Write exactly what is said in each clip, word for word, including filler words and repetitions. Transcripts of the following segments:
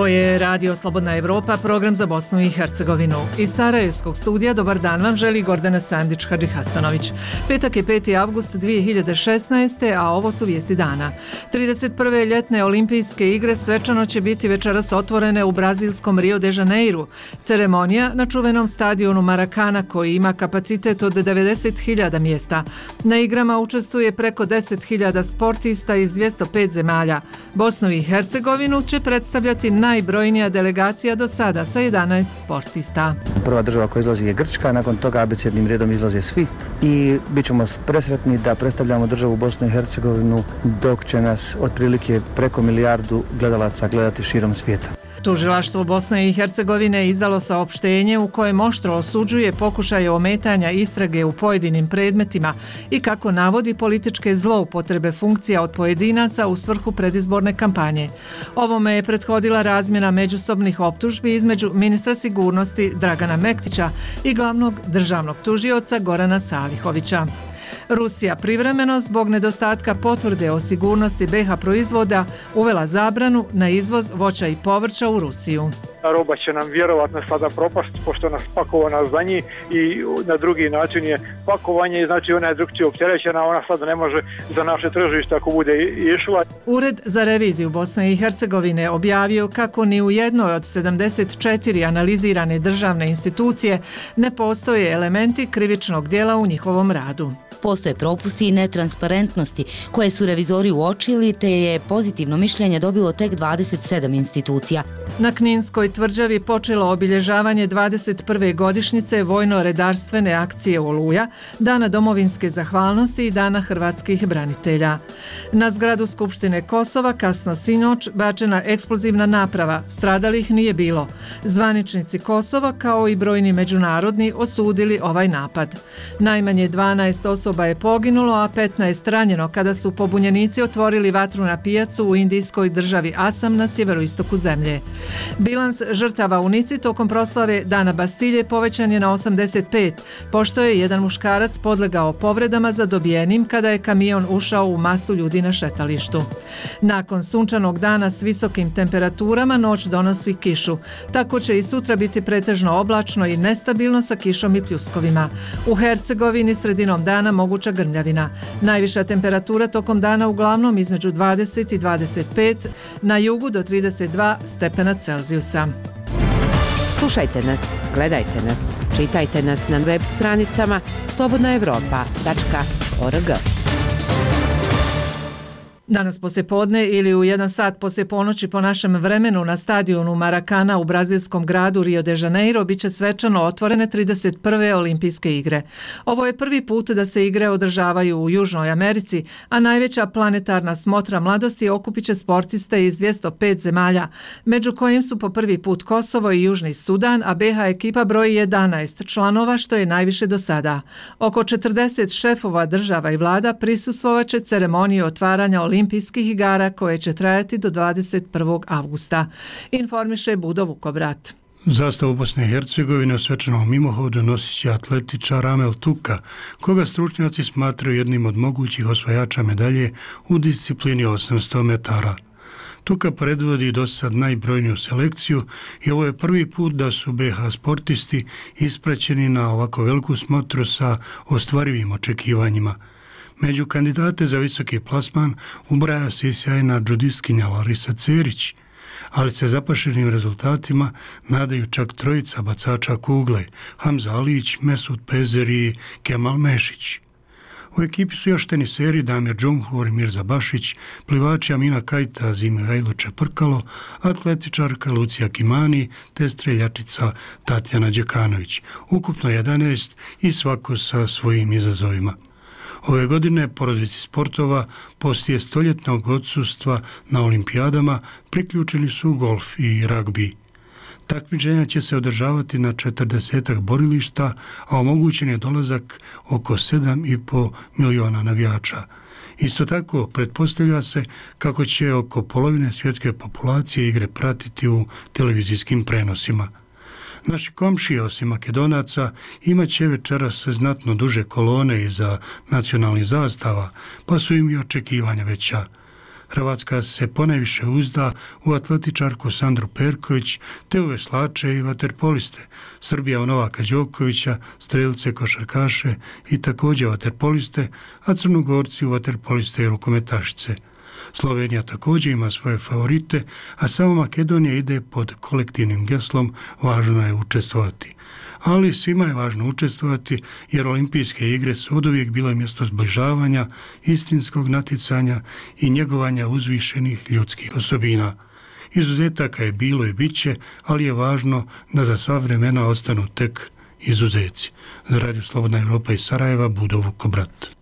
Ovo je Radio Slobodna Evropa, program za Bosnu i Hercegovinu. Iz Sarajevskog studija dobar dan vam želi Gordana Sandić-Hadžihasanović. Petak je peti avgust dvije hiljade šesnaeste. a ovo su vijesti dana. trideset prve ljetne olimpijske igre svečano će biti večeras otvorene u brazilskom Rio de Janeiru. Ceremonija na čuvenom stadionu Maracana koji ima kapacitet od devedeset hiljada mjesta. Na igrama učestvuje preko deset hiljada sportista iz dvjesto pet zemalja. Bosnu i Hercegovinu će predstavljati najbrojnija delegacija do sada sa jedanaest sportista. Prva država koja izlazi je Grčka, nakon toga abecednim redom izlaze svi i bit ćemo presretni da predstavljamo državu Bosnu i Hercegovinu dok će nas otprilike preko milijardu gledalaca gledati širom svijeta. Tužilaštvo Bosne i Hercegovine izdalo saopštenje u kojem oštro osuđuje pokušaje ometanja istrage u pojedinim predmetima i kako navodi političke zloupotrebe funkcija od pojedinaca u svrhu predizborne kampanje. Ovome je prethodila razmjena međusobnih optužbi između ministra sigurnosti Dragana Mektića i glavnog državnog tužioca Gorana Salihovića. Rusija privremeno zbog nedostatka potvrde o sigurnosti be ha proizvoda uvela zabranu na izvoz voća i povrća u Rusiju. Roba će nam vjerovatno sada propast pošto nas pakovana za njih i na drugi način je pakovanje i znači ona je drugčije opterećena, ona sada ne može za naše tržište ako bude išla. Ured za reviziju Bosne i Hercegovine objavio kako ni u jednoj od sedamdeset četiri analizirane državne institucije ne postoje elementi krivičnog djela u njihovom radu. Postoje propusti i netransparentnosti koje su revizori uočili, te je pozitivno mišljenje dobilo tek dvadeset sedam institucija. Na Kninskoj tvrđavi počelo obilježavanje dvadeset prve godišnjice vojno-redarstvene akcije Oluja, Dana domovinske zahvalnosti i Dana hrvatskih branitelja. Na zgradu Skupštine Kosova kasno sinoć bačena eksplozivna naprava, stradalih nije bilo. Zvaničnici Kosova kao i brojni međunarodni osudili ovaj napad. Najmanje dvanaest osoba je poginulo, a petnaest ranjeno kada su pobunjenici otvorili vatru na pijacu u indijskoj državi Asam na sjeveroistoku zemlje. Bilans žrtava u Nici tokom proslave Dana Bastilje povećan je na osamdeset pet, pošto je jedan muškarac podlegao povredama zadobijenim kada je kamion ušao u masu ljudi na šetalištu. Nakon sunčanog dana s visokim temperaturama noć donosi kišu. Tako će i sutra biti pretežno oblačno i nestabilno sa kišom i pljuskovima. U Hercegovini sredinom dana moguća grmljavina. Najviša temperatura tokom dana uglavnom između dvadeset i dvadeset pet, na jugu do trideset dva stepena Celzijusa. Slušajte nas, gledajte nas, čitajte nas na web stranicama slobodna evropa tačka org. Danas poslijepodne ili u jedan sat poslije ponoći po našem vremenu na stadionu Maracana u brazilskom gradu Rio de Janeiro biće svečano otvorene trideset prve olimpijske igre. Ovo je prvi put da se igre održavaju u Južnoj Americi, a najveća planetarna smotra mladosti okupit će sportiste iz dvjesto pet zemalja, među kojim su po prvi put Kosovo i Južni Sudan, a be ha ekipa broji jedanaest članova, što je najviše do sada. Oko četrdeset šefova država i vlada prisustvovat će ceremoniji otvaranja olimpijskih igara koje će trajati do dvadeset prvog avgusta, informiše Budo Vukobrat. Zastavu Bosne i Hercegovine u svečanom mimohodu nosit će atletičar Amel Tuka, koga stručnjaci smatraju jednim od mogućih osvajača medalje u disciplini osamsto metara. Tuka predvodi do sad najbrojniju selekciju i ovo je prvi put da su be ha sportisti ispraćeni na ovako veliku smotru sa ostvarivim očekivanjima. Među kandidate za visoki plasman ubraja se i sjajna džudistkinja Larisa Cerić, ali se zapašenim rezultatima nadaju čak trojica bacača kugle, Hamza Alić, Mesut Pezer i Kemal Mešić. U ekipi su još teniseri Damir Džumhur i Mirza Bašić, plivači Amina Kajtaz i Mihajlo Čeprkalo, atletičarka Lucija Kimani te streljačica Tatjana Đekanović. Ukupno jedanaest i svako sa svojim izazovima. Ove godine porodici sportova poslije stoljetnog odsustva na olimpijadama priključili su golf i ragbi. Takmičenja će se održavati na četrdesetak borilišta, a omogućen je dolazak oko sedam i pol miliona navijača. Isto tako, pretpostavlja se kako će oko polovine svjetske populacije igre pratiti u televizijskim prenosima. Naši komšije, osim Makedonaca, imat će večeras znatno duže kolone iza nacionalnih zastava, pa su im i očekivanja veća. Hrvatska se ponajviše uzda u atletičarku Sandru Perković te u veslače i vaterpoliste. Srbija u Novaka Đokovića, strelce, košarkaše i također vaterpoliste, a Crnogorci u vaterpoliste i rukometašice. Slovenija također ima svoje favorite, a samo Makedonija ide pod kolektivnim geslom važno je učestvovati. Ali svima je važno učestvovati jer olimpijske igre su oduvijek bile mjesto zbližavanja, istinskog natjecanja i njegovanja uzvišenih ljudskih osobina. Izuzetaka je bilo i bit će, ali je važno da za sva vremena ostanu tek izuzeci. Za Radio Slobodna Evropa iz Sarajeva, Budo Vukobrat.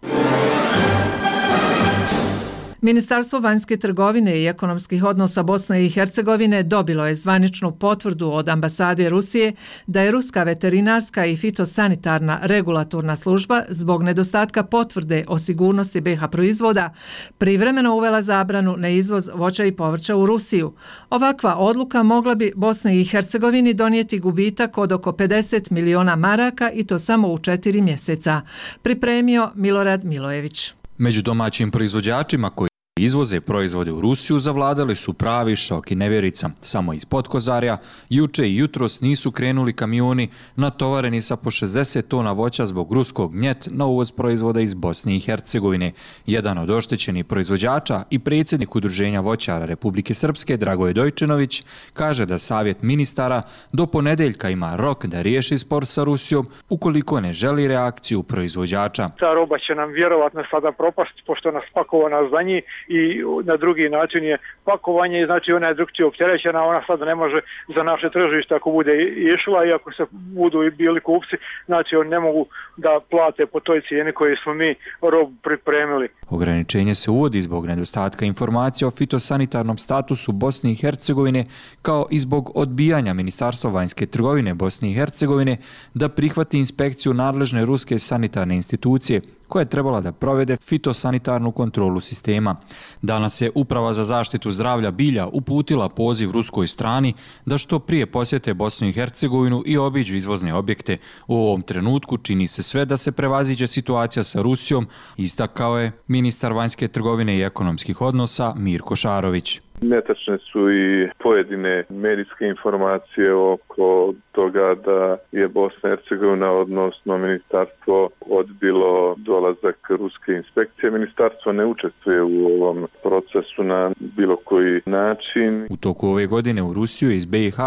Ministarstvo vanjske trgovine i ekonomskih odnosa Bosne i Hercegovine dobilo je zvaničnu potvrdu od ambasade Rusije da je Ruska veterinarska i fitosanitarna regulatorna služba zbog nedostatka potvrde o sigurnosti B iH proizvoda privremeno uvela zabranu na izvoz voća i povrća u Rusiju. Ovakva odluka mogla bi Bosni i Hercegovini donijeti gubitak od oko pedeset miliona maraka i to samo u četiri mjeseca. Pripremio Milorad Milojević. Među domaćim proizvođačima koji izvoze proizvode u Rusiju zavladali su pravi šok i nevjerica. Samo iz Podkozarja juče i jutros nisu krenuli kamioni natovareni sa po šezdeset tona voća zbog ruskog gnjet na uvoz proizvoda iz Bosne i Hercegovine. Jedan od oštećenih proizvođača i predsjednik Udruženja voćara Republike Srpske, Dragoje Dojčinović, kaže da savjet ministara do ponedjeljka ima rok da riješi spor sa Rusijom ukoliko ne želi reakciju proizvođača. Ta roba će nam vjerovatno sada propast pošto nas pakovana za njih i na drugi način je pakovanje, znači ona je drugčije opterećena, ona sad ne može za naše tržište ako bude išla i ako se budu bili kupci, znači oni ne mogu da plate po toj cijeni koju smo mi robu pripremili. Ograničenje se uvodi zbog nedostatka informacija o fitosanitarnom statusu Bosne i Hercegovine kao i zbog odbijanja Ministarstva vanjske trgovine Bosne i Hercegovine da prihvati inspekciju nadležne ruske sanitarne institucije koja je trebala da provede fitosanitarnu kontrolu sistema. Danas je Uprava za zaštitu zdravlja bilja uputila poziv ruskoj strani da što prije posjete Bosnu i Hercegovinu i obiđu izvozne objekte. U ovom trenutku čini se sve da se prevaziđe situacija sa Rusijom, istakao je ministar vanjske trgovine i ekonomskih odnosa Mirko Šarović. Netačne su i pojedine medijske informacije oko toga da je Bosna i Hercegovina, odnosno ministarstvo, odbilo dolazak ruske inspekcije. Ministarstvo ne učestvuje u ovom procesu na bilo koji način. U toku ove godine u Rusiju iz B iH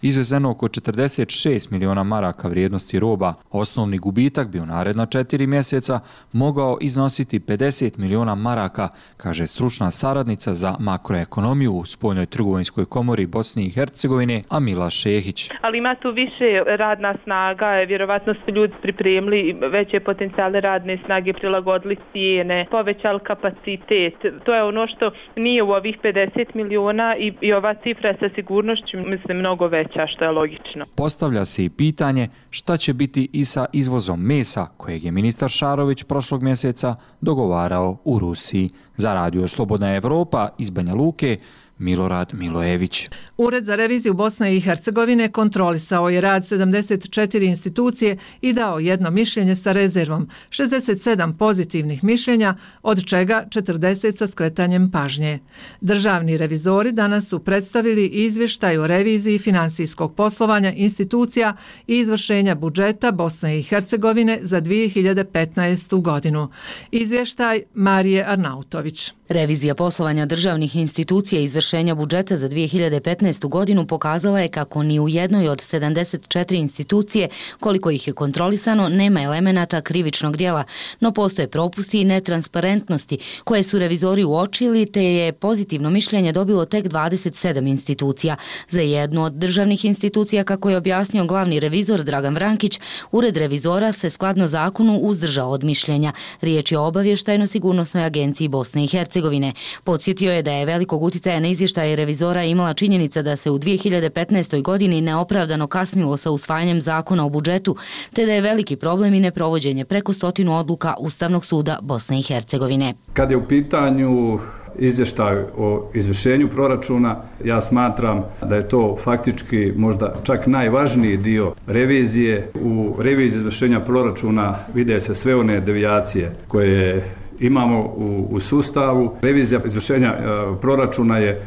izvezeno oko četrdeset šest miliona maraka vrijednosti roba. Osnovni gubitak bi u naredna četiri mjeseca mogao iznositi pedeset miliona maraka, kaže stručna saradnica za makroekonomiju u Spoljnoj trgovinskoj komori Bosne i Hercegovine Amila Šehić. Ali ima tu više radna snaga, vjerovatno su ljudi pripremili veće potencijale radne snage, prilagodili cijene, povećali kapacitet. To je ono što nije u ovih pedeset miliona i, i ova cifra je sa sigurnošću, mislim, mnogo veća, što je logično. Postavlja se i pitanje šta će biti i sa izvozom mesa, kojeg je ministar Šarović prošlog mjeseca dogovarao u Rusiji. Za Radio Slobodna Evropa iz Banja Luke, Milorad Milojević. Ured za reviziju Bosne i Hercegovine kontrolisao je rad sedamdeset četiri institucije i dao jedno mišljenje sa rezervom, šezdeset sedam pozitivnih mišljenja, od čega četrdeset sa skretanjem pažnje. Državni revizori danas su predstavili izvještaj o reviziji finansijskog poslovanja institucija i izvršenja budžeta Bosne i Hercegovine za dvije hiljade petnaestu. godinu. Izvještaj Marije Arnautović. Revizija poslovanja državnih institucija i izvršenja budžeta za dvije hiljade petnaestu. godinu pokazala je kako ni u jednoj od sedamdeset četiri institucije, koliko ih je kontrolisano, nema elemenata krivičnog djela, no postoje propusti i netransparentnosti koje su revizori uočili, te je pozitivno mišljenje dobilo tek dvadeset sedam institucija. Za jednu od državnih institucija, kako je objasnio glavni revizor Dragan Vrankić, Ured revizora se skladno zakonu uzdržao od mišljenja. Riječ je o Obavještajno-sigurnosnoj agenciji Bosne i Hercegovine. Podsjetio je da je velikog utjecaja na izvještaje revizora imala činjenica da se u dvije hiljade petnaestoj. godini neopravdano kasnilo sa usvajanjem zakona o budžetu, te da je veliki problem i neprovođenje preko stotinu odluka Ustavnog suda Bosne i Hercegovine. Kad je u pitanju izvještaj o izvršenju proračuna, ja smatram da je to faktički možda čak najvažniji dio revizije. U reviziji izvršenja proračuna vide se sve one devijacije koje imamo u, u sustavu. Revizija izvršenja e, proračuna je e,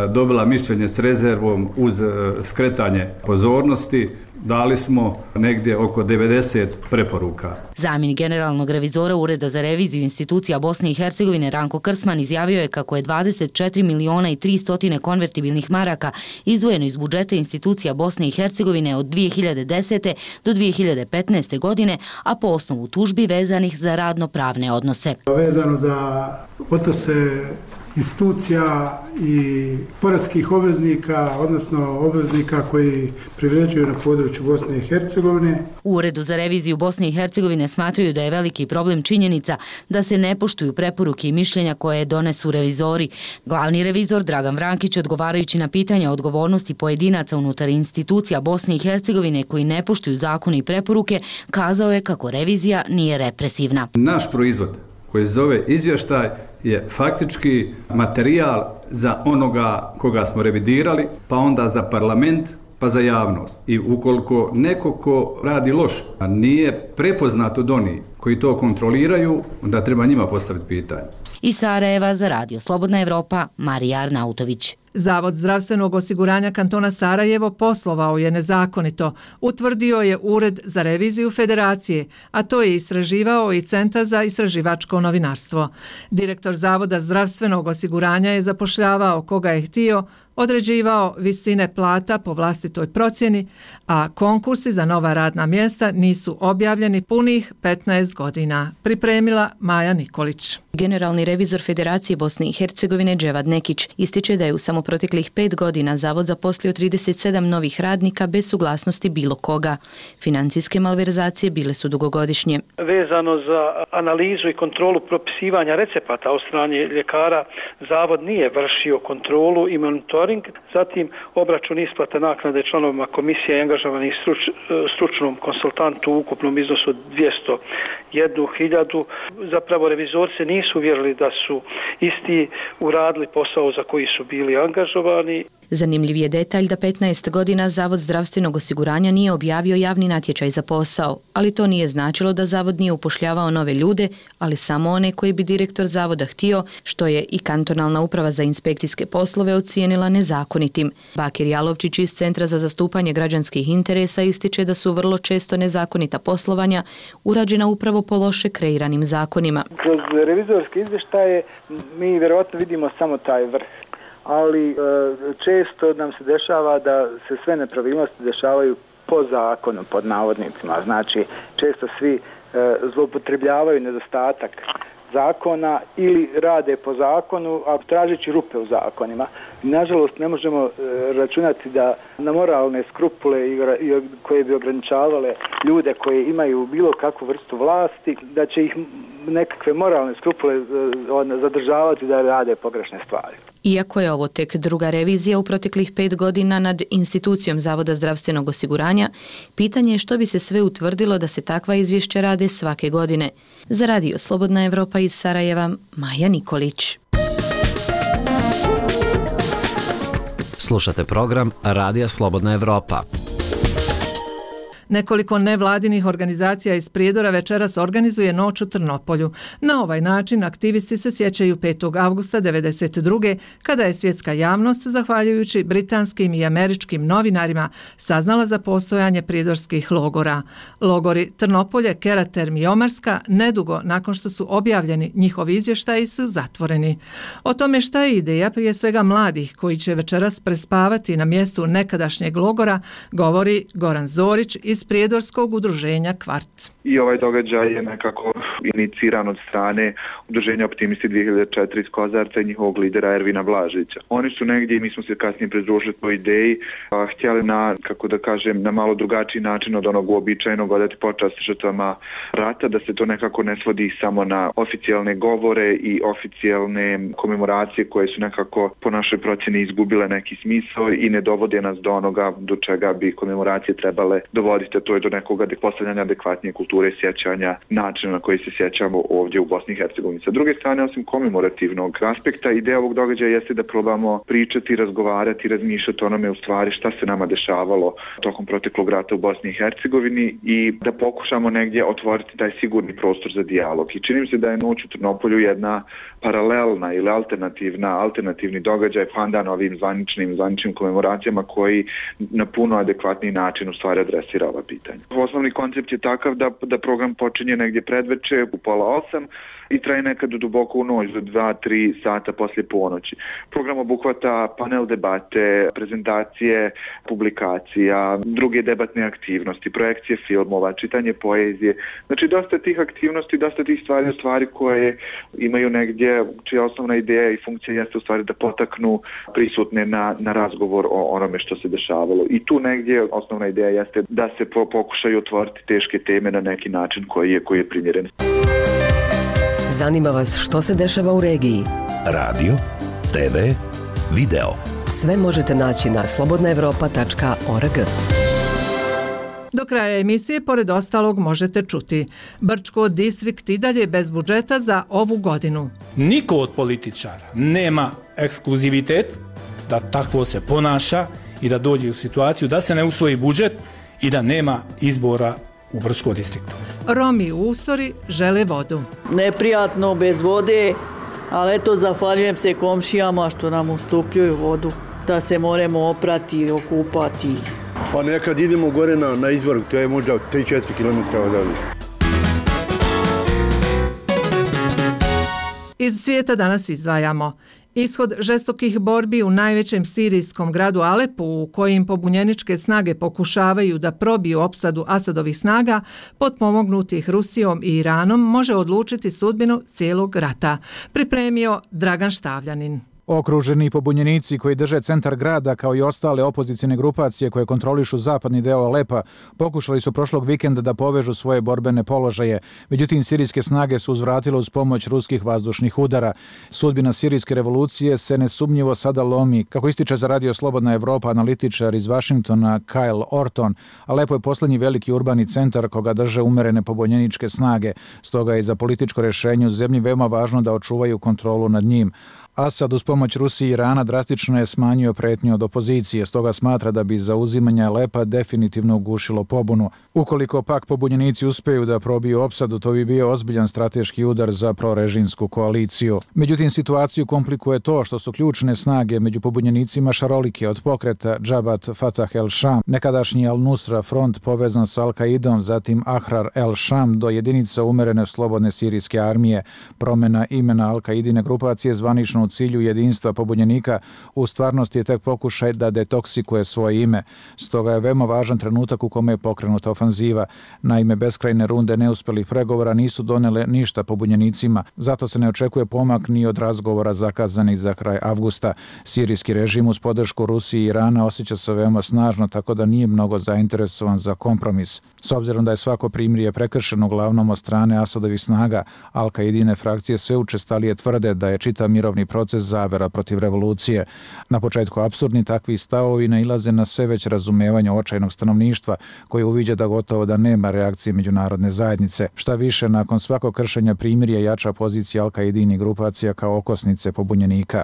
dobila mišljenje s rezervom uz e, skretanje pozornosti. Dali smo negdje oko devedeset preporuka. Zamjenik generalnog revizora Ureda za reviziju institucija Bosne i Hercegovine Ranko Krsman izjavio je kako je dvadeset četiri miliona i tristo konvertibilnih maraka izdvojeno iz budžeta institucija Bosne i Hercegovine od dvije hiljade desete do dvije hiljade petnaeste. godine, a po osnovu tužbi vezanih za radno-pravne odnose. Vezano za odnose institucija i poreskih obveznika, odnosno obveznika koji privređuju na području Bosne i Hercegovine. U Uredu za reviziju Bosne i Hercegovine smatraju da je veliki problem činjenica da se ne poštuju preporuke i mišljenja koje donesu revizori. Glavni revizor Dragan Vrankić, odgovarajući na pitanja o odgovornosti pojedinaca unutar institucija Bosne i Hercegovine koji ne poštuju zakone i preporuke, kazao je kako revizija nije represivna. Naš proizvod koji se zove izvještaj je faktički materijal za onoga koga smo revidirali, pa onda za parlament, pa za javnost. I ukoliko neko ko radi loše, a nije prepoznat od onih koji to kontroliraju, onda treba njima postaviti pitanje. Iz Sarajeva za radio Slobodna Evropa, Marija Arnautović. Zavod zdravstvenog osiguranja kantona Sarajevo poslovao je nezakonito, utvrdio je Ured za reviziju Federacije, a to je istraživao i Centar za istraživačko novinarstvo. Direktor Zavoda zdravstvenog osiguranja je zapošljavao koga je htio, određivao visine plata po vlastitoj procjeni, a konkursi za nova radna mjesta nisu objavljeni punih petnaest godina. Pripremila Maja Nikolić. Generalni revizor Federacije Bosne i Hercegovine Dževad Nekić ističe da je u samo proteklih pet godina Zavod zaposlio trideset sedam novih radnika bez suglasnosti bilo koga. Financijske malverzacije bile su dugogodišnje. Vezano za analizu i kontrolu propisivanja recepata od strane ljekara, Zavod nije vršio kontrolu i monitoring, zatim obračun isplata naknade članovima komisije i angažovanih struč, stručnom konsultantu u ukupnom iznosu od dvjesto jednu hiljadu. Zapravo revizorci nisu vjerili da su isti uradili posao za koji su bili angažovani. Zanimljiv je detalj da petnaest godina Zavod zdravstvenog osiguranja nije objavio javni natječaj za posao, ali to nije značilo da Zavod nije upošljavao nove ljude, ali samo one koji bi direktor Zavoda htio, što je i kantonalna uprava za inspekcijske poslove ocijenila nezakonitim. Bakir Jalovčić iz Centra za zastupanje građanskih interesa ističe da su vrlo često nezakonita poslovanja urađena upravo po loše kreiranim zakonima. Kroz revizorske izvještaje mi vjerovatno vidimo samo taj vrh, ali često nam se dešava da se sve nepravilnosti dešavaju po zakonu, pod navodnicima. Znači, često svi zloupotrebljavaju nedostatak zakona ili rade po zakonu, a tražeći rupe u zakonima. Nažalost, ne možemo računati da na moralne skrupule koje bi ograničavale ljude koji imaju bilo kakvu vrstu vlasti, da će ih nekakve moralne skrupule zadržavati da rade pogrešne stvari. Iako je ovo tek druga revizija u proteklih pet godina nad institucijom Zavoda zdravstvenog osiguranja, pitanje je što bi se sve utvrdilo da se takva izvješća rade svake godine. Za radio Slobodna Evropa iz Sarajeva, Maja Nikolić. Slušate program Radija Slobodna Evropa. Nekoliko nevladinih organizacija iz Prijedora večeras organizuje noć u Trnopolju. Na ovaj način aktivisti se sjećaju petog avgusta devedeset druge kada je svjetska javnost, zahvaljujući britanskim i američkim novinarima, saznala za postojanje prijedorskih logora. Logori Trnopolje, Keraterm i Omarska nedugo nakon što su objavljeni njihovi izvještaji su zatvoreni. O tome šta je ideja prije svega mladih koji će večeras prespavati na mjestu nekadašnjeg logora, govori Goran Zorić iz Prijedorskog udruženja Kvart. I ovaj događaj je nekako iniciran od strane udruženja Optimisti dvije hiljade četiri iz Kozarca i njihovog lidera Ervina Blažića. Oni su negdje, i mi smo se kasnije pridružili po ideji, a, htjeli na, kako da kažem, na malo drugačiji način od onog uobičajenog odati počast žrtvama rata, da se to nekako ne svodi samo na oficijalne govore i oficijalne komemoracije koje su nekako po našoj procjeni izgubile neki smisao i ne dovode nas do onoga do čega bi komemoracije trebale dovoditi. dovesti, to je do nekog postavljanja adekvatnije kulture sjećanja, načina na koji se sjećamo ovdje u Bosni i Hercegovini. Sa druge strane, osim komemorativnog aspekta, ideja ovog događaja jeste da probamo pričati, razgovarati, razmišljati o onome u stvari šta se nama dešavalo tokom proteklog rata u Bosni i Hercegovini i da pokušamo negdje otvoriti taj sigurni prostor za dijalog. I čini mi se da je Noć u Trnopolju jedna paralelna ili alternativna, alternativni događaj pandan ovim zvaničnim, zvaničnim komemoracijama koji na puno adekvatniji način u stvari adresira ova pitanja. Osnovni koncept je takav da, da program počinje negdje predveče u pola osam i traje nekad duboko u noć do dva tri sata poslije ponoći. Program obuhvata panel debate, prezentacije, publikacija, druge debatne aktivnosti, projekcije filmova, čitanje poezije. Znači dosta tih aktivnosti, dosta tih stvari, stvari koje imaju negdje, čija osnovna ideja i funkcija jeste u stvari da potaknu prisutne na, na razgovor o onome što se dešavalo. I tu negdje osnovna ideja jeste da se po, pokušaju otvoriti teške teme na neki način koji je, koji je primjeren. Zanima vas što se dešava u regiji? Radio, te ve, video. Sve možete naći na slobodna evropa tačka org. Do kraja emisije, pored ostalog, možete čuti. Brčko distrikt i dalje bez budžeta za ovu godinu. Niko od političara nema ekskluzivitet da takvo se ponaša i da dođe u situaciju da se ne usvoji budžet i da nema izbora u Brčkom distriktu. Romi u Usori žele vodu. Neprijatno bez vode, ali eto zahvaljujem se komšijama što nam ustupljuju vodu, da se moramo oprati, okupati. Pa nekad idemo gore na, na izvor, to je možda tri četiri kilometra odavde. Iz svijeta danas izdvajamo ishod žestokih borbi u najvećem sirijskom gradu Alepu, u kojim pobunjeničke snage pokušavaju da probiju opsadu Asadovih snaga, potpomognutih Rusijom i Iranom, može odlučiti sudbinu cijelog rata. Pripremio Dragan Štavljanin. Okruženi pobunjenici koji drže centar grada kao i ostale opozicijne grupacije koje kontrolišu zapadni deo Alepa pokušali su prošlog vikenda da povežu svoje borbene položaje. Međutim, sirijske snage su uzvratile uz pomoć ruskih vazdušnih udara. Sudbina sirijske revolucije se nesumnjivo sada lomi. Kako ističe za Radio Slobodna Evropa analitičar iz Vašingtona Kyle Orton, Alepo je posljednji veliki urbani centar koga drže umerene pobunjeničke snage. Stoga je za političko rješenje u zemlji veoma važno da očuvaju kontrolu nad njim. Asad uz pomoć Rusije i Irana drastično je smanjio pretnju od opozicije, stoga smatra da bi zauzimanje Alepa definitivno ugušilo pobunu. Ukoliko pak pobunjenici uspeju da probiju opsadu, to bi bio ozbiljan strateški udar za prorežimsku koaliciju. Međutim, situaciju komplikuje to što su ključne snage među pobunjenicima šarolike, od pokreta Džabat Fatah el-Sham, nekadašnji Al-Nusra front povezan s Al-Qaidom, zatim Ahrar el-Sham do jedinica umerene slobodne sirijske armije. Promjena imena Al-Qaidine grupacije zvanično u cilju jedinstva pobunjenika u stvarnosti je tek pokušaj da detoksikuje svoje ime. Stoga je veoma važan trenutak u kome je pokrenuta ofanziva. Naime, beskrajne runde neuspjelih pregovora nisu donele ništa pobunjenicima, zato se ne očekuje pomak ni od razgovora zakazanih za kraj avgusta. Sirijski režim uz podršku Rusije i Irana osjeća se veoma snažno, tako da nije mnogo zainteresovan za kompromis. S obzirom da je svako primirje prekršeno uglavnom od strane Asadovih snaga, Al-Qaidine frakcije sve učestalije tvrde da je čitav mirovni proces zavera protiv revolucije. Na početku apsurdni takvi stavovi nailaze na sve već razumevanje očajnog stanovništva koji uviđa da gotovo da nema reakcije međunarodne zajednice. Šta više, nakon svakog kršenja primirja jača pozicija Al-Qaidini grupacija kao okosnice pobunjenika.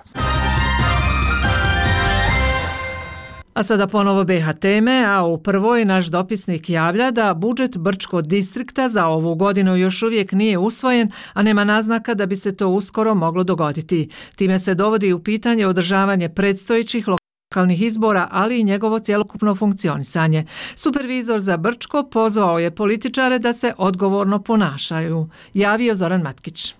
A sada ponovo B H teme, a u prvoj naš dopisnik javlja da budžet Brčkog distrikta za ovu godinu još uvijek nije usvojen, a nema naznaka da bi se to uskoro moglo dogoditi. Time se dovodi u pitanje održavanje predstojećih lokalnih izbora, ali i njegovo cjelokupno funkcionisanje. Supervizor za Brčko pozvao je političare da se odgovorno ponašaju. Javio Zoran Matkić.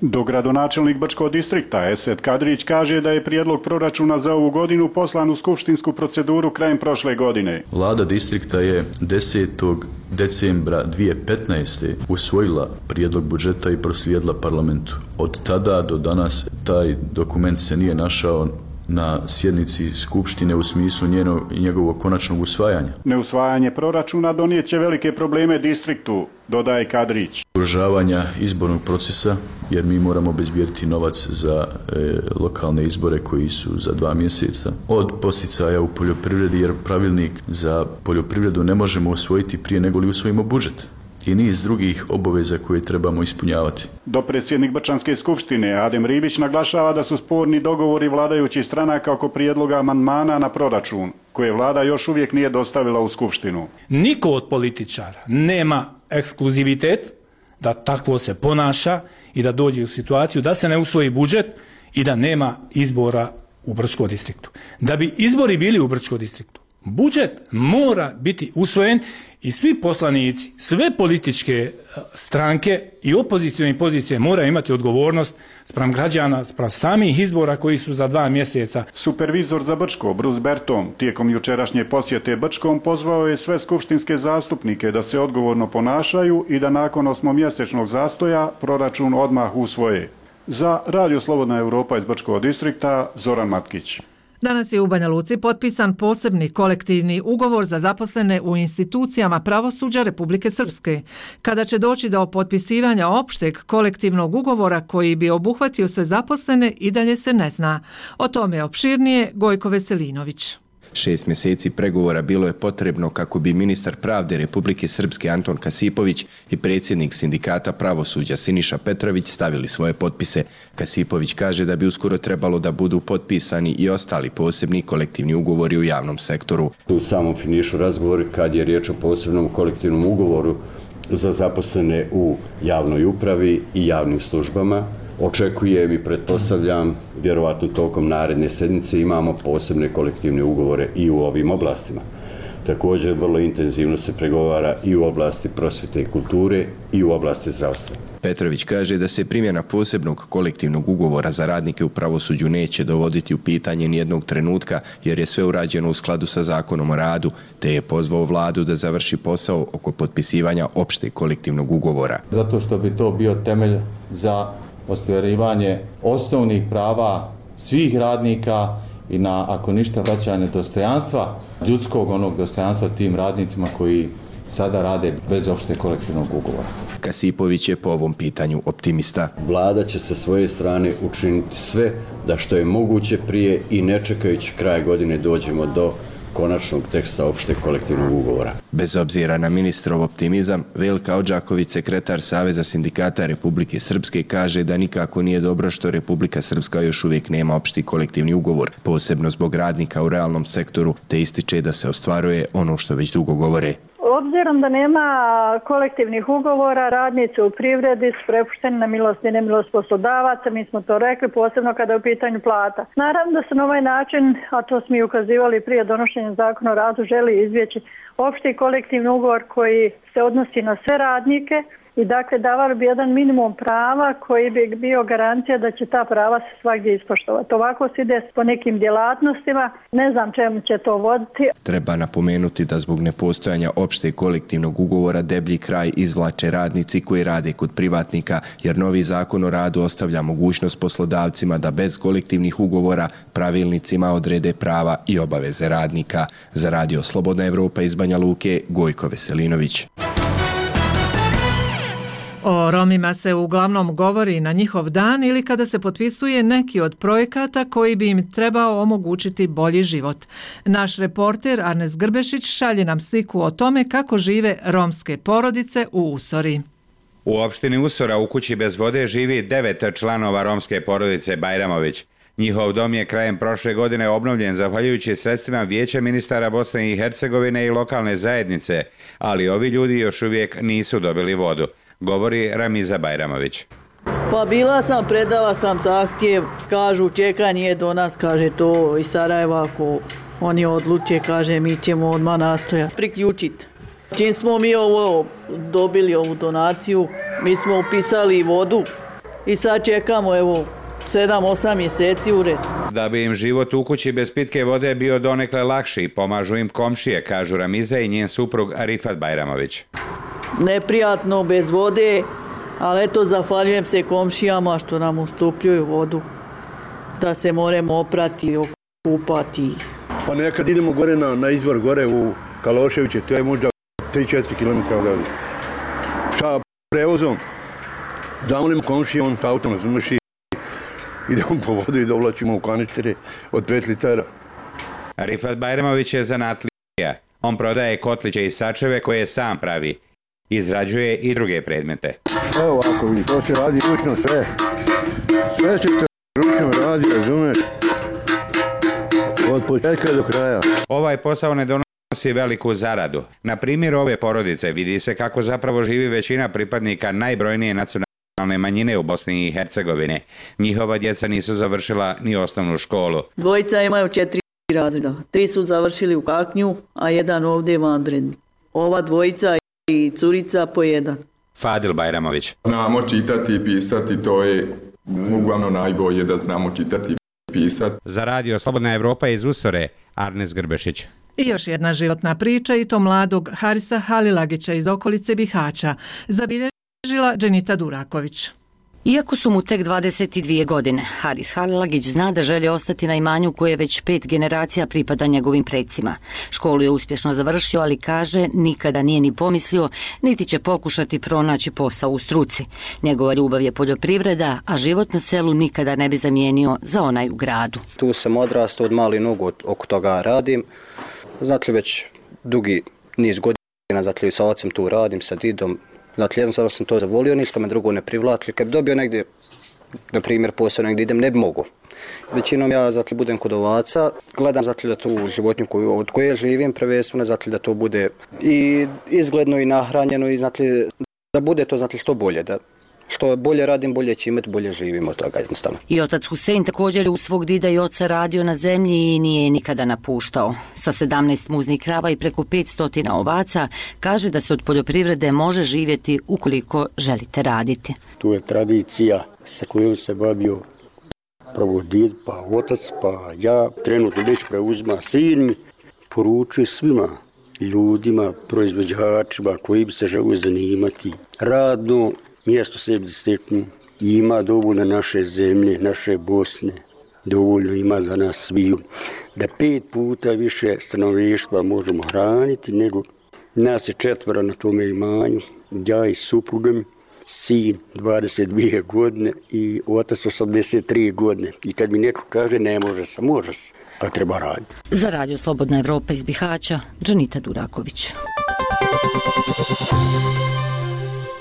Dogradonačelnik Brčkog distrikta Esed Kadrić kaže da je prijedlog proračuna za ovu godinu poslan u skupštinsku proceduru krajem prošle godine. Vlada distrikta je desetog decembra dvije tisuće petnaeste. usvojila prijedlog budžeta i proslijedila parlamentu. Od tada do danas taj dokument se nije našao na sjednici Skupštine u smislu njeno, njegovog konačnog usvajanja. Neusvajanje proračuna donijet će velike probleme distriktu, dodaje Kadrić. Ugrožavanja izbornog procesa, jer mi moramo obezbijediti novac za e, lokalne izbore koji su za dva mjeseca. Od posticaja u poljoprivredi, jer pravilnik za poljoprivredu ne možemo usvojiti prije nego li usvojimo budžet i niz drugih obaveza koje trebamo ispunjavati. Dopredsjednik Brčanske skupštine Adem Ribić naglašava da su sporni dogovori vladajućih stranaka oko prijedloga amandmana na proračun, koje vlada još uvijek nije dostavila u skupštinu. Niko od političara nema ekskluzivitet da takvo se ponaša i da dođe u situaciju da se ne usvoji budžet i da nema izbora u Brčkom distriktu. Da bi izbori bili u Brčkom distriktu, budžet mora biti usvojen i svi poslanici, sve političke stranke i opozicijne pozicije moraju imati odgovornost spram građana, spram samih izbora koji su za dva mjeseca. Supervizor za Brčko, Bruce Berton, tijekom jučerašnje posjete Brčkom pozvao je sve skupštinske zastupnike da se odgovorno ponašaju i da nakon osmomjesečnog zastoja proračun odmah usvoje. Za Radio Slobodna Europa iz Brčkog distrikta, Zoran Matkić. Danas je u Banja Luci potpisan posebni kolektivni ugovor za zaposlene u institucijama pravosuđa Republike Srpske. Kada će doći do potpisivanja opšteg kolektivnog ugovora koji bi obuhvatio sve zaposlene, i dalje se ne zna. O tome opširnije Gojko Veselinović. Šest mjeseci pregovora bilo je potrebno kako bi ministar pravde Republike Srpske Anton Kasipović i predsjednik sindikata pravosuđa Siniša Petrović stavili svoje potpise. Kasipović kaže da bi uskoro trebalo da budu potpisani i ostali posebni kolektivni ugovori u javnom sektoru. U samom finišu razgovori kad je riječ o posebnom kolektivnom ugovoru za zaposlene u javnoj upravi i javnim službama, očekujem i pretpostavljam, vjerovatno tokom naredne sedmice imamo posebne kolektivne ugovore i u ovim oblastima. Također vrlo intenzivno se pregovara i u oblasti prosvjete i kulture i u oblasti zdravstva. Petrović kaže da se primjena posebnog kolektivnog ugovora za radnike u pravosuđu neće dovoditi u pitanje nijednog trenutka jer je sve urađeno u skladu sa zakonom o radu, te je pozvao vladu da završi posao oko potpisivanja opšteg kolektivnog ugovora. Zato što bi to bio temelj za ostvarivanje osnovnih prava svih radnika i na, ako ništa, vraćanje dostojanstva, ljudskog onog dostojanstva tim radnicima koji sada rade bez opšteg kolektivnog ugovora. Kasipović je po ovom pitanju optimista. Vlada će sa svoje strane učiniti sve da što je moguće prije i ne čekajući kraj godine dođemo do konačnog teksta opšteg kolektivnog ugovora. Bez obzira na ministrov optimizam, Velka Odžaković, sekretar Saveza sindikata Republike Srpske, kaže da nikako nije dobro što Republika Srpska još uvijek nema opšti kolektivni ugovor, posebno zbog radnika u realnom sektoru, te ističe da se ostvaruje ono što već dugo govore. Obzirom da nema kolektivnih ugovora, radnici u privredi su prepušteni na milost i nemilost poslodavaca, mi smo to rekli, posebno kada je u pitanju plata. Naravno da se na ovaj način, a to smo i ukazivali prije donošenja zakona o radu, želi izbjeći opšti kolektivni ugovor koji se odnosi na sve radnike i dakle davali bi jedan minimum prava koji bi bio garancija da će ta prava se svakdje ispoštovati. Ovako se ide po nekim djelatnostima, ne znam čemu će to voditi. Treba napomenuti da zbog nepostojanja opšteg kolektivnog ugovora deblji kraj izvlače radnici koji rade kod privatnika, jer novi zakon o radu ostavlja mogućnost poslodavcima da bez kolektivnih ugovora pravilnicima odrede prava i obaveze radnika. Za Radio Slobodna Evropa iz Banja Luke, Gojko Veselinović. O Romima se uglavnom govori na njihov dan ili kada se potpisuje neki od projekata koji bi im trebao omogućiti bolji život. Naš reporter Arnes Grbešić šalje nam sliku o tome kako žive romske porodice u Usori. U opštini Usora u kući bez vode živi devet članova romske porodice Bajramović. Njihov dom je krajem prošle godine obnovljen zahvaljujući sredstvima Vijeća ministara Bosne i Hercegovine i lokalne zajednice, ali ovi ljudi još uvijek nisu dobili vodu, govori Ramiza Bajramović. Pa bila sam, predala sam zahtjev, kažu čekanje je do nas, kaže to iz Sarajeva, ako oni odluče, kaže mi ćemo odmah nastojati priključiti. Čim smo mi ovo dobili ovu donaciju, mi smo upisali vodu i sad čekamo evo sedam osam mjeseci u red. Da bi im život u kući bez pitke vode bio donekle lakši, pomažu im komšije, kažu Ramiza i njen suprug Arifat Bajramović. Neprijatno bez vode, ali eto zahvaljujem se komšijama što nam ustupljuju vodu. da se moramo oprati, okupati. Pa nekad idemo gore na, na izvor, gore u Kaloševiće, to je možda tri četiri kilometra odavde. Sa prevozom, zamolim komšije, on sa autom razumješi, idemo po vodu i dovlačimo u kaništere od pet litara. Rifat Bajramović je zanatlija. On prodaje kotliće i sačeve koje sam pravi. Izrađuje i druge predmete. Evo ovako vidi, to se radi ručno sve. Sve se to ručno radi, razumeš? Od početka do kraja. Ovaj posao ne donosi veliku zaradu. Na primjer ove porodice vidi se kako zapravo živi većina pripadnika najbrojnije nacionalne manjine u Bosni i Hercegovini. Njihova djeca nisu završila ni osnovnu školu. Dvojica imaju četiri razreda. Tri su završili u Kaknju, a jedan ovdje vanredni. Ova dvojica i curica po jedan. Fadil Bajramović. Znamo čitati i pisati, to je uglavnom najbolje da znamo čitati i pisati. Za radio Slobodna Evropa iz Usore, Arnes Grbešić. I još jedna životna priča, i to mladog Harisa Halilagića iz okolice Bihaća, zabilježila Dženita Duraković. Iako su mu tek dvadeset dvije godine, Haris Halilagić zna da želi ostati na imanju koje već pet generacija pripada njegovim predsima. Školu je uspješno završio, ali kaže nikada nije ni pomislio, niti će pokušati pronaći posao u struci. Njegova ljubav je poljoprivreda, a život na selu nikada ne bi zamijenio za onaj u gradu. Tu sam odrastao od mali nogu, oko toga radim. Znači već dugi niz godina, znači sa ocem tu radim, sa didom. Znači, jednostavno sam to zavolio, ništa me drugo ne privlači. Kad bi dobio negdje, na primjer, posao negdje idem, ne bi mogo. Većinom ja, znači, budem kod ovaca, gledam, znači, da tu životinju koju, od koje živim, prvenstveno, znači, da to bude i izgledno i nahranjeno i, znači, da bude to, znači, što bolje, da što bolje radim, bolje će imati, bolje živimo od toga jednostavno. I otac Husein također u svog dida i oca radio na zemlji i nije nikada napuštao. Sa sedamnaest muznih krava i preko petsto ovaca kaže da se od poljoprivrede može živjeti ukoliko želite raditi. Tu je tradicija sa kojom se bavio prvo did, pa otac, pa ja. Trenutno već preuzima sin mi, poručuje svima ljudima, proizvođačima koji bi se želi zanimati radno, mjesto sebi steknu, ima dovoljno naše zemlje, naše Bosne, dovoljno ima za nas sviju, da pet puta više stanovništva možemo hraniti nego nas je četvora na tome imanju, ja i suprugom, sin dvadeset dvije godine i otac osamdeset tri godine. I kad mi neko kaže ne može se, može se, a treba raditi. Za radio Slobodna Evropa iz Bihaća, Dženita Duraković.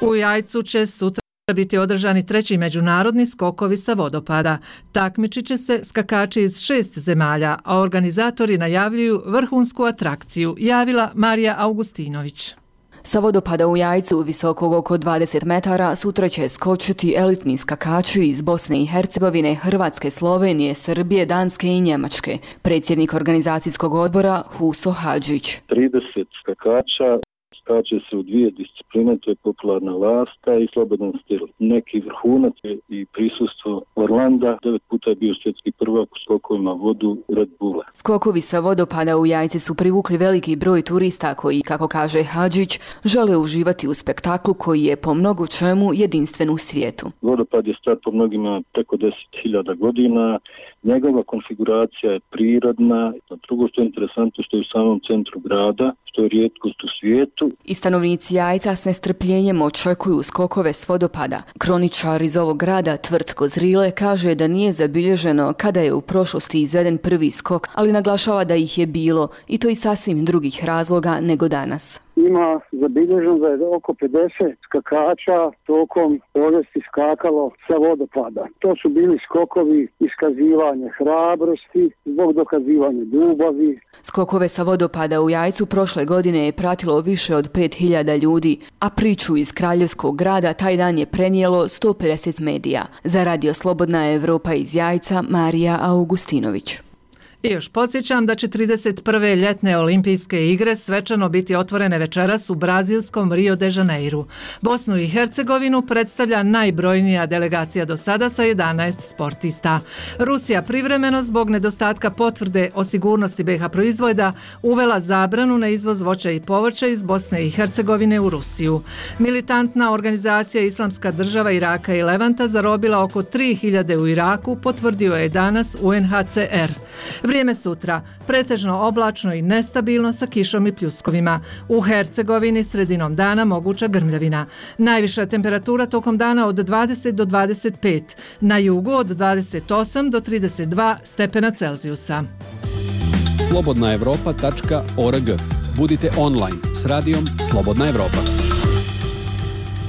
U Jajcu će sutra biti održani treći međunarodni skokovi sa vodopada. Takmičit će se skakači iz šest zemalja, a organizatori najavljuju vrhunsku atrakciju, javila Marija Augustinović. Sa vodopada u Jajcu, visokog oko dvadeset metara, sutra će skočiti elitni skakači iz Bosne i Hercegovine, Hrvatske, Slovenije, Srbije, Danske i Njemačke. Predsjednik organizacijskog odbora Huso Hadžić. trideset skakača skače se u dvije discipline, to je popularna lasta i slobodan stil. Neki vrhunac i prisustvo Orlanda, devet puta je bio svjetski prvak u skokovima vodu Red Bulla. Skokovi sa vodopada u Jajci su privukli veliki broj turista koji, kako kaže Hadžić, žele uživati u spektaklu koji je po mnogo čemu jedinstven u svijetu. Vodopad je star po mnogima preko deset hiljada godina, njegova konfiguracija je prirodna, a drugo što je interesantno što je u samom centru grada, što je rijetkost u svijetu. I stanovnici Jajca s nestrpljenjem očekuju skokove s vodopada. Kroničar iz ovog grada, Tvrtko Zrile, kaže da nije zabilježeno kada je u prošlosti izveden prvi skok, ali naglašava da ih je bilo i to iz sasvim drugih razloga nego danas. Ima zabilježeno da je oko pedeset skakača tokom povijesti skakalo sa vodopada. To su bili skokovi iskazivanja hrabrosti, zbog dokazivanja ljubavi. Skokove sa vodopada u Jajcu prošle godine je pratilo više od pet hiljada ljudi, a priču iz Kraljevskog grada taj dan je prenijelo sto pedeset medija. Za radio Slobodna Evropa iz Jajca, Marija Augustinović. I još podsjećam da će trideset prve ljetne olimpijske igre svečano biti otvorene večeras u brazilskom Rio de Janeiru. Bosnu i Hercegovinu predstavlja najbrojnija delegacija do sada sa jedanaest sportista. Rusija privremeno zbog nedostatka potvrde o sigurnosti be ha proizvoda uvela zabranu na izvoz voća i povrća iz Bosne i Hercegovine u Rusiju. Militantna organizacija Islamska država Iraka i Levanta zarobila oko tri hiljade u Iraku, potvrdio je danas U N H C R. Vrijeme sutra, pretežno oblačno i nestabilno sa kišom i pljuskovima. U Hercegovini sredinom dana moguća grmljavina. Najviša temperatura tokom dana od dvadeset do dvadeset pet, na jugu od dvadeset osam do trideset dva stepena Celzijusa. slobodna evropa tačka org. Budite online s radijom Slobodna Evropa.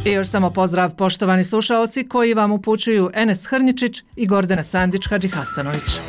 I još samo pozdrav poštovani slušaoci koji vam upućuju Enes Hrničić i Gordana Sandić Hadžihasanović.